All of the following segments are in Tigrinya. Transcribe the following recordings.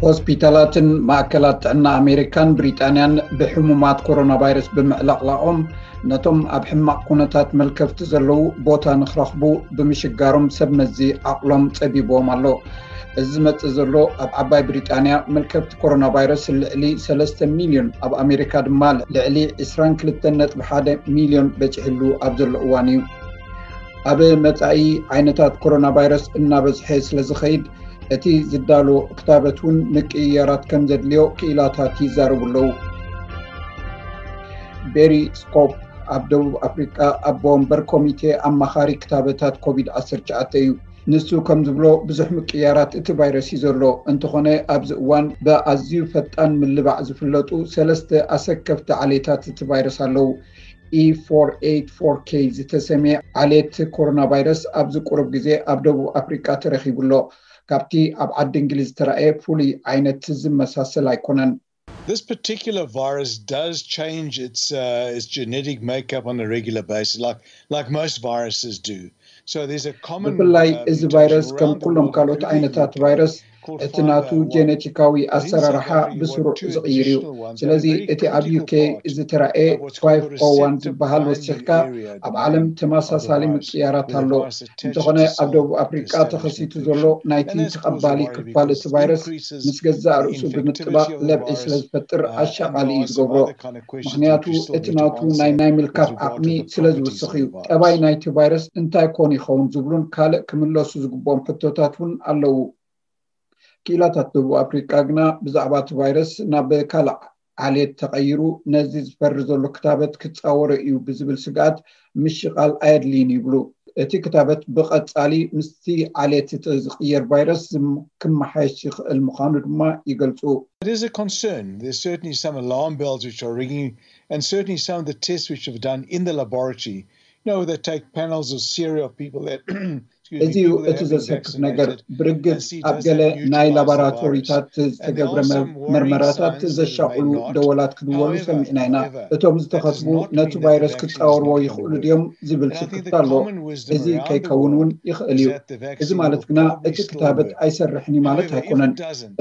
ሆስፒታላትን ማእከላት ጥዕና ኣሜሪካን ብሪጣንያን ብሕሙማት ኮሮና ቫይረስ ብምዕላቕላቖም፣ ነቶም ኣብ ሕማቕ ኩነታት መልከፍቲ ዘለዉ ቦታ ንኽረኽቡ ብምሽጋሮም ሰብ መዚ ዓቕሎም ጸቢብዎም ኣሎ። እዚ ዝመጽእ ዘሎ ኣብ ዓባይ ብሪጣንያ መልከፍቲ ኮሮና ቫይረስ ልዕሊ ሰለስተ ሚልዮን፣ ኣብ ኣሜሪካ ድማ ልዕሊ ዕስራን ክልተን ነጥቢ ሓደ ሚልዮን በጺሕሉ ኣብ ዘሎ እዋን እዩ። ኣብ መጻኢ ዓይነታት ኮሮና ቫይረስ እናበዝሐ ስለ ዝኸይድ፣ እቲ ዝዳሎ ክታበት እውን ምቅይያራት ከም ዘድልዮ ክኢላታት ይዛረቡ ኣለዉ። ቤሪ ስኮፕ ኣብ ደቡብ ኣፍሪቃ ኣቦ ወንበር ኮሚቴ ኣማኻሪ ክታበታት ኮቪድ ዓሰርተ ትሽዓተ እዩ። ንሱ ከም ዝብሎ፣ ብዙሕ ምቅያራት እቲ ቫይረስ እዩ ዘሎ። እንተኾነ፣ ኣብዚ እዋን ብኣዝዩ ፈጣን ምልባዕ ዝፍለጡ ሰለስተ ኣሰከፍቲ ዓሌታት እቲ ቫይረስ ኣለዉ። ኢ ፎር ኤይት ፎር ኬ ዝተሰምየ ዓሌት ኮሮና ቫይረስ ኣብዚ ቁሩብ ግዜ ኣብ ደቡብ ኣፍሪቃ ተረኺቡ ኣሎ። ካብቲ ኣብ ዓዲ እንግሊዝ ዝተራእየ ፍሉይ ዓይነት ዝመሳሰል ኣይኮነን። This particular virus does change its uh, its genetic makeup on a regular basis, like like most viruses do. So there's a common ብፍላይ uh, እዚ ቫይረስ ከም ኩሎም ካልኦት ዓይነታት ቫይረስ እቲ ናቱ ጀነቲካዊ ኣሰራርሓ ብስሩዕ ዝቕይር እዩ። ስለዚ እቲ ኣብ ዩ ኬ ዝተራእየ ፋይቭ ኦ ዋን ዝበሃል ወሲኽካ ኣብ ዓለም ተመሳሳሊ ምቅያራት ኣሎ። እንተኾነ ኣብ ደቡብ ኣፍሪቃ ተኸሲቱ ዘሎ ናይቲ ተቐባሊ ክፋል እቲ ቫይረስ ምስ ገዛእ ርእሱ ብምጥባቕ ለብዒ ስለ ዝፈጥር ኣሻቓሊ እዩ ዝገብሮ። ምኽንያቱ እቲ ናቱ ናይ ናይ ምልካፍ ዓቕሚ ስለ ዝውስኽ እዩ። ጠባይ ናይቲ ቫይረስ እንታይ ኮን ይኸውን ዝብሉን ካልእ ክምለሱ ዝግብኦም ሕቶታት እውን ኣለዉ። ክኢላታት ደቡብ ኣፍሪቃ ግና ብዛዕባ እቲ ቫይረስ ናብ ካልእ ዓሌት ተቐይሩ ነዚ ዝፈሪ ዘሎ ክታበት ክጻወሮ እዩ ብዝብል ስግኣት ምሽቓል ኣየድልይን ይብሉ። እቲ ክታበት ብቐጻሊ ምስቲ ዓሌት እቲ ዝቕየር ቫይረስ ክመሓየሽ ይኽእል ምዃኑ ድማ ይገልጹ። It is a concern. There's certainly some alarm bells which are ringing, and certainly some of the tests which have done in the laboratory, you know, they take panels of serum of people that እዚ እዩ እቲ ዘሰክፍ ነገር። ብርግጽ ኣብ ገለ ናይ ላቦራቶሪታት ዝተገብረ መርመራታት ዘሻቕሉ ደወላት ክድወሉ ሰሚዕና ኢና። እቶም ዝተኸትቡ ነቲ ቫይረስ ክጻወርዎ ይኽእሉ ድዮም ዝብል ስክፍታ ኣሎ። እዚ ከይከውን እውን ይኽእል እዩ። እዚ ማለት ግና እቲ ክታበት ኣይሰርሕን እዩ ማለት ኣይኮነን።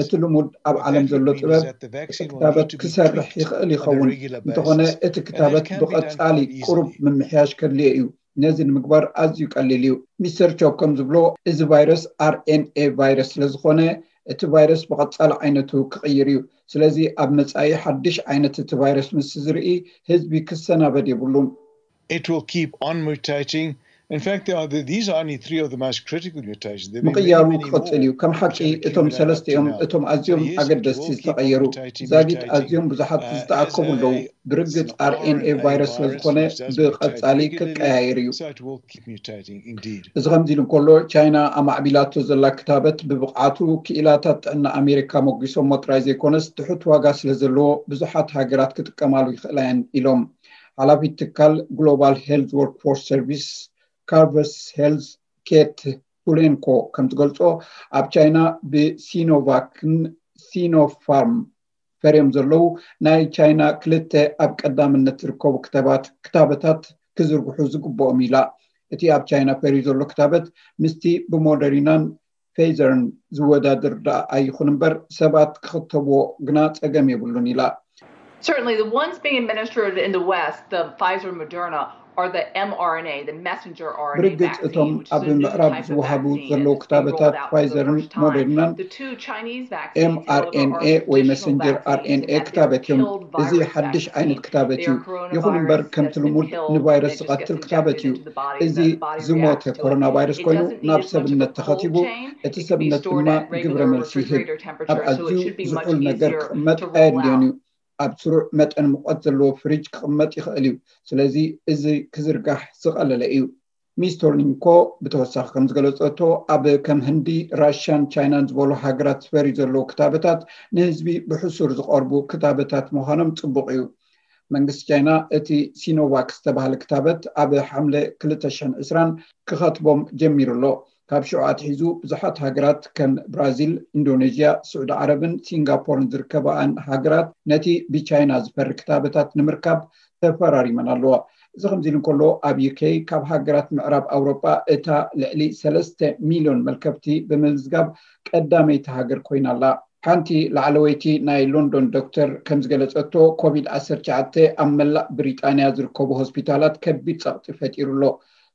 እቲ ልሙድ ኣብ ዓለም ዘሎ ጥበብ እቲ ክታበት ክሰርሕ ይኽእል ይኸውን። እንተኾነ እቲ ክታበት ብቐጻሊ ቁሩብ ምምሕያሽ ከድልዮ እዩ። ነዚ ንምግባር ኣዝዩ ቀሊል እዩ። ሚስተር ቾፕ ከም ዝብሎ፣ እዚ ቫይረስ ኣር ኤን ኤ ቫይረስ ስለ ዝኾነ፣ እቲ ቫይረስ ብቐጻሊ ዓይነቱ ክቕይር እዩ። ስለዚ ኣብ መጻኢ ሓድሽ ዓይነት እቲ ቫይረስ ምስ ዝርኢ፣ ህዝቢ ክሰናበድ የብሉን። It will keep on mutating. In fact, there are, these are only three of the most critical mutations. ምቕያሩ ክቕጽል እዩ። ከም ሓቂ እቶም ሰለስተ እዮም እቶም ኣዝዮም ኣገደስቲ ዝተቐየሩ። ዛጊት ኣዝዮም ብዙሓት ዝተኣከቡ ኣለዉ። ብርግጽ ኣር ኤን ኤ ቫይረስ ስለ ዝኾነ ብቐጻሊ ክቀያየር እዩ። እዚ ከምዚ ኢሉ እንከሎ፣ ቻይና ኣማዕቢላቶ ዘላ ክታበት ብብቕዓቱ ክኢላታት ጥዕና ኣሜሪካ ሞጒሶሞ ጥራይ ዘይኮነስ፣ ትሑት ዋጋ ስለ ዘለዎ ብዙሓት ሃገራት ክጥቀማሉ ይኽእላ እየን ኢሎም። ሓላፊት ትካል ግሎባል ሄልዝ ወርክፎርስ ሰርቪስ ካርቨስ ሄልዝ ኬት ፑሌንኮ ከም ትገልጾ፣ ኣብ ቻይና ብሲኖቫክን ሲኖፋርም ፈርዮም ዘለዉ ናይ ቻይና ክልተ ኣብ ቀዳምነት ዝርከቡ ክታበታት ክዝርግሑ ዝግብኦም ኢላ። እቲ ኣብ ቻይና ፈርዩ ዘሎ ክታበት ምስቲ ብሞደሪናን ፌይዘርን ዝወዳደር ደኣ ኣይኹን እምበር ሰባት ክኽተብዎ ግና ጸገም የብሉን ኢላ። Certainly, the ones being administered in the West, the Pfizer and Moderna, are the mRNA, the messenger R N A ብርግጽ እቶም ኣብ ምዕራብ ዝወሃቡ ዘለዉ ክታበታት ፋይዘርን ሞደርናን ኤምኣርኤንኤ ወይ መሰንጀር ኣርኤንኤ ክታበት እዮም። እዚ ሓድሽ ዓይነት ክታበት እዩ። ይኹን እምበር ከምቲ ልሙድ ንቫይረስ ዝቐትል ክታበት እዩ። እዚ ዝሞተ ኮሮና ቫይረስ ኮይኑ ናብ ሰብነት ተኸቲቡ፣ እቲ ሰብነት ድማ ግብረ መልሲ ይህብ። ኣብ ኣዝዩ ዝሑል ነገር ክቕመጥ ኣየድልዮን እዩ። ኣብ ስሩዕ መጠን ሙቐት ዘለዎ ፍሪጅ ክቕመጥ ይኽእል እዩ። ስለዚ እዚ ክዝርጋሕ ዝቐለለ እዩ። ሚስ ቶርኒንኮ ብተወሳኺ ከም ዝገለጸቶ፣ ኣብ ከም ህንዲ፣ ራሽያን ቻይናን ዝበሉ ሃገራት ዝፈርዩ ዘለዉ ክታበታት ንህዝቢ ብሕሱር ዝቐርቡ ክታበታት ምዃኖም ጽቡቕ እዩ። መንግስቲ ቻይና እቲ ሲኖቫክ ዝተባህለ ክታበት ኣብ ሓምለ ክልተ ሽሕን ዕስራን ክኸትቦም ጀሚሩ ኣሎ። ካብ ሽዑ ኣትሒዙ ብዙሓት ሃገራት ከም ብራዚል፣ ኢንዶኔዥያ፣ ስዑዲ ዓረብን ሲንጋፖርን ዝርከበኣን ሃገራት ነቲ ብቻይና ዝፈሪ ክታበታት ንምርካብ ተፈራሪመን ኣለዋ። እዚ ከምዚ ኢሉ እንከሎ፣ ኣብ ዩኬ ካብ ሃገራት ምዕራብ ኣውሮጳ እታ ልዕሊ ሰለስተ ሚልዮን መልከፍቲ ብምምዝጋብ ቀዳመይቲ ሃገር ኮይና ኣላ። ሓንቲ ላዕለወይቲ ናይ ሎንዶን ዶክተር ከም ዝገለጸቶ፣ ኮቪድ ዓሰርተ ትሽዓተ ኣብ መላእ ብሪጣንያ ዝርከቡ ሆስፒታላት ከቢድ ጸቕጢ ፈጢሩ ኣሎ።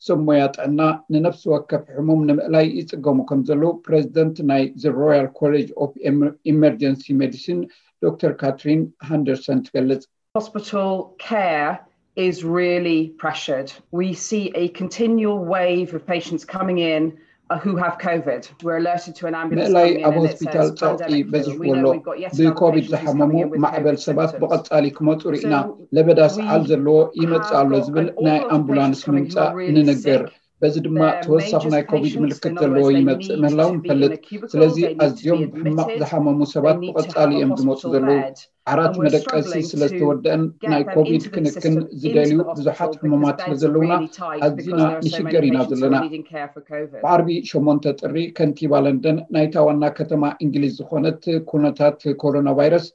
ሰብ ሞያ ጥዕና ንነፍሲ ወከፍ ሕሙም ንምእላይ ይጽገሙ ከም ዘለዉ ፕሬዚደንት ናይ The Royal College of Emer- Emergency Medicine ዶክተር ካትሪን ሃንደርሰን ትገልጽ። Hospital care is really pressured. We see a continual wave of patients coming in uh, who have COVID. We're alerted to an ambulance ምእላይ coming in ኣብ and it ሆስፒታል says ጸቕጢ pandemic flu. በዚሕዎ We ኣሎ። know we've got yet another ብኮቪድ patient who's ዝሓመሙ coming in with ማዕበል COVID ሰባት symptoms. ብቐጻሊ ክመጹ ርኢና። So ለበዳ we ሰዓል ዘለዎ ይመጽእ have ኣሎ got ዝብል an awful ናይ lot of ኣምቡላንስ patients coming who are ምምጻእ really ንንገር። sick. በዚ ድማ They're ተወሳኺ ናይ major ኮቪድ patients. ምልክት In other ዘለዎ words, they ይመጽእ need ምህላው to be in ንፈልጥ። a cubicle. ስለዚ They need to be ኣዝዮም ብሕማቕ admitted. ዝሓመሙ ሰባት They need to ብቐጻሊ have a እዮም ዝመጹ hospital ዘለዉ። bed. ዓራት And we're መደቀሲ struggling ስለ to ዝተወደአን get ናይ them ኮቪድ into the ክንክን system, into ዝደልዩ the ብዙሓት hospital, because ሕሙማት ስለ beds are ዘለዉና really tight ኣዚና because there are so many ንሽገር ኢና patients who ዘለና። are needing care for COVID. ብዓርቢ ሸሞንተ ጥሪ ከንቲባ ለንደን ናይታ ዋና ከተማ እንግሊዝ ዝኾነት ኩነታት ኮሮና ቫይረስ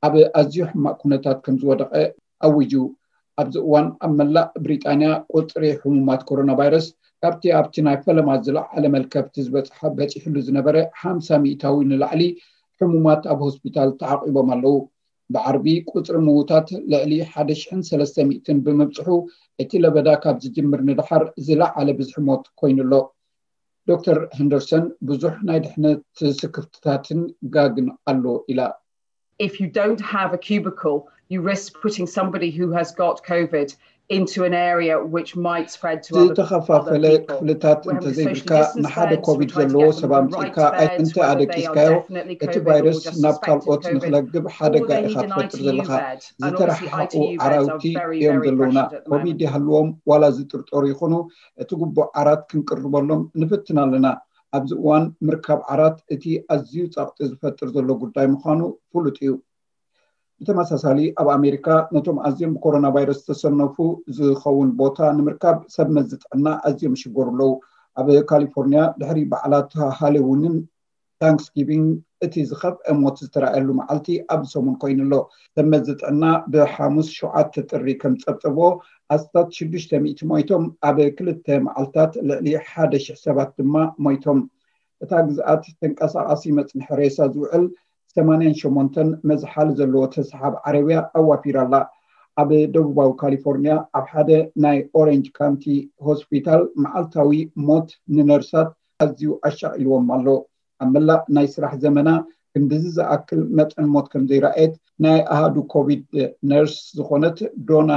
ኣብ ኣዝዩ ሕማቕ ኩነታት ከም ዝወደቐ ኣዊጁ። ኣብዚ እዋን ኣብ መላእ ብሪጣንያ ቁጽሪ ሕሙማት ኮሮና ቫይረስ ካብቲ ኣብቲ ናይ ፈለማ ዝለዓለ መልከፍቲ ዝበጽሐ በጺሕሉ ዝነበረ ሓምሳ ሚእታዊ ንላዕሊ ሕሙማት ኣብ ሆስፒታል ተዓቒቦም ኣለዉ። ብዓርቢ ቁጽሪ ምዉታት ልዕሊ ሓደ ሽሕን ሰለስተ ሚእትን ብምብጽሑ፣ እቲ ለበዳ ካብ ዝጅምር ንደሓር ዝለዓለ ብዝሒ ሞት ኮይኑ ኣሎ። ዶክተር ሄንደርሰን ብዙሕ ናይ ድሕነት ስክፍትታትን ጋግን ኣሎ ኢላ። If you don't have a cubicle, you risk putting somebody who has got COVID into an area which might spread to other, other ዝተኸፋፈለ people. ክፍልታት We're having the social እንተዘይብልካ distance ንሓደ beds, we're ኮቪድ trying to ዘለዎ get them ሰብ the ኣምጺእካ right beds, እንተ whether they are ኣደቂስካዮ definitely እቲ COVID or ቫይረስ just ናብ suspected ካልኦት COVID, ንኽለግብ or ሓደጋ they ኢኻ need an ትፈጥር I T U ዘለኻ። bed. And obviously ዝተረሓሓቑ I T U beds are ዓራውቲ very, እዮም very ዘለዉና። pressured at the ኮቪድ moment. ይሃልዎም ዋላ ዝጥርጠሩ ይኹኑ፣ እቲ ግቡእ ዓራት ክንቅርበሎም ንፍትን ኣለና። ኣብዚ እዋን ምርካብ ዓራት እቲ ኣዝዩ ጸቕጢ ዝፈጥር ዘሎ ጉዳይ ምዃኑ ፍሉጥ እዩ። ብተመሳሳሊ ኣብ ኣሜሪካ ነቶም ኣዝዮም ብኮሮና ቫይረስ ዝተሰነፉ ዝኸውን ቦታ ንምርካብ ሰብ መዚ ጥዕና ኣዝዮም ይሽገሩ ኣለዉ። ኣብ ካሊፎርኒያ ድሕሪ በዓላት ሃሎዊንን ታንክስጊቪንግ እቲ ዝኸፍአ ሞት ዝተራእየሉ መዓልቲ ኣብዚ ሰሙን ኮይኑ ኣሎ። ሰብ መዚ ጥዕና ብሓሙስ ሸውዓተ ጥሪ ከም ጸብጸቦ ኣስታት ሽዱሽተ ሚእቲ ሞይቶም፣ ኣብ ክልተ መዓልታት ልዕሊ ሓደ ሽሕ ሰባት ድማ ሞይቶም። እታ ግዝኣት ተንቀሳቓሲ መጽንሒ ሬሳ ዝውዕል ሰማንያን ሸሞንተን መዝሓል ዘለዎ ተሰሓብ ዓረብያ ኣዋፊራ ኣላ። ኣብ ደቡባዊ ካሊፎርኒያ ኣብ ሓደ ናይ ኦሬንጅ ካውንቲ ሆስፒታል መዓልታዊ ሞት ንነርሳት ኣዝዩ ኣሻቒልዎም ኣሎ። ኣብ መላእ ናይ ስራሕ ዘመና ክንድዚ ዝኣክል መጠን ሞት ከም ዘይረኣየት ናይ ኣሃዱ ኮቪድ ነርስ ዝኾነት ዶና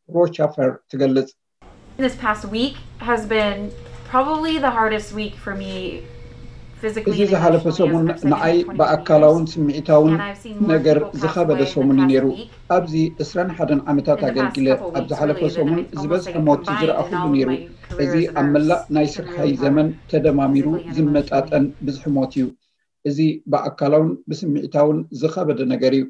ሮቻፈር ትገልጽ። This past week has been probably the hardest week for me physically እዚ and ዝሓለፈ emotionally, ሰሙን as I've said, ንዓይ in twenty-one ብኣካላውን years. ስምዒታውን And I've seen more ነገር people pass ዝኸበደ away in the ሰሙን እዩ past ነይሩ። week. ኣብዚ ዕስራን ሓደን ዓመታት In the past ኣገልጊለ couple ኣብ weeks, ዝሓለፈ really, than ሰሙን I've almost ዝበዝሐ like ሞት combined ዝረኣኹሉ in all ነይሩ። my careers እዚ as a ኣብ መላእ nurse ናይ to ስርሓይ really have ዘመን ተደማሚሩ physically and ዝመጣጠን emotionally. ብዝሒ ሞት እዩ። እዚ ብኣካላውን ብስምዒታውን ዝኸበደ ነገር እዩ።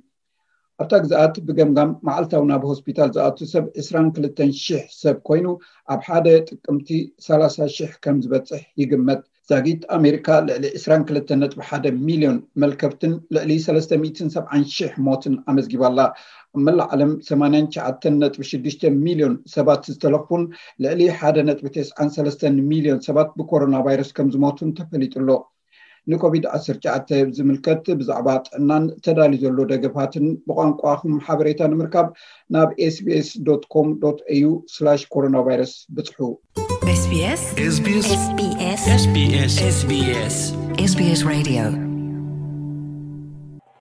ኣብታ ግዝኣት ብገምጋም መዓልታዊ ናብ ሆስፒታል ዝኣቱ ሰብ ዕስራን ክልተን ሽሕ ሰብ ኮይኑ፣ ኣብ ሓደ ጥቅምቲ ሰላሳ ሽሕ ከም ዝበጽሕ ይግመት። ዛጊት ኣሜሪካ ልዕሊ ዕስራን ክልተን ነጥቢ ሓደ ሚልዮን መልከፍትን ልዕሊ ሰለስተ ሚእትን ሰብዓን ሽሕ ሞትን ኣመዝጊባ ኣላ። ኣብ መላእ ዓለም ሰማንያን ትሽዓተን ነጥቢ ሽዱሽተ ሚልዮን ሰባት ዝተለኽፉን ልዕሊ ሓደ ነጥቢ ተስዓን ሰለስተን ሚልዮን ሰባት ብኮሮና ቫይረስ ከም ዝሞቱን ተፈሊጡ ኣሎ። ንኮቪድ ዓሰርተ ትሽዓተ ዝምልከት ብዛዕባ ጥዕናን ተዳልዩ ዘሎ ደገፋትን ብቋንቋኹም ሓበሬታ ንምርካብ ናብ ኤስቢኤስ ዶት ኮም ዶት ኤዩ ስላሽ ኮሮና ቫይረስ ብጽሑ። SBS SBS SBS SBS SBS SBS Radio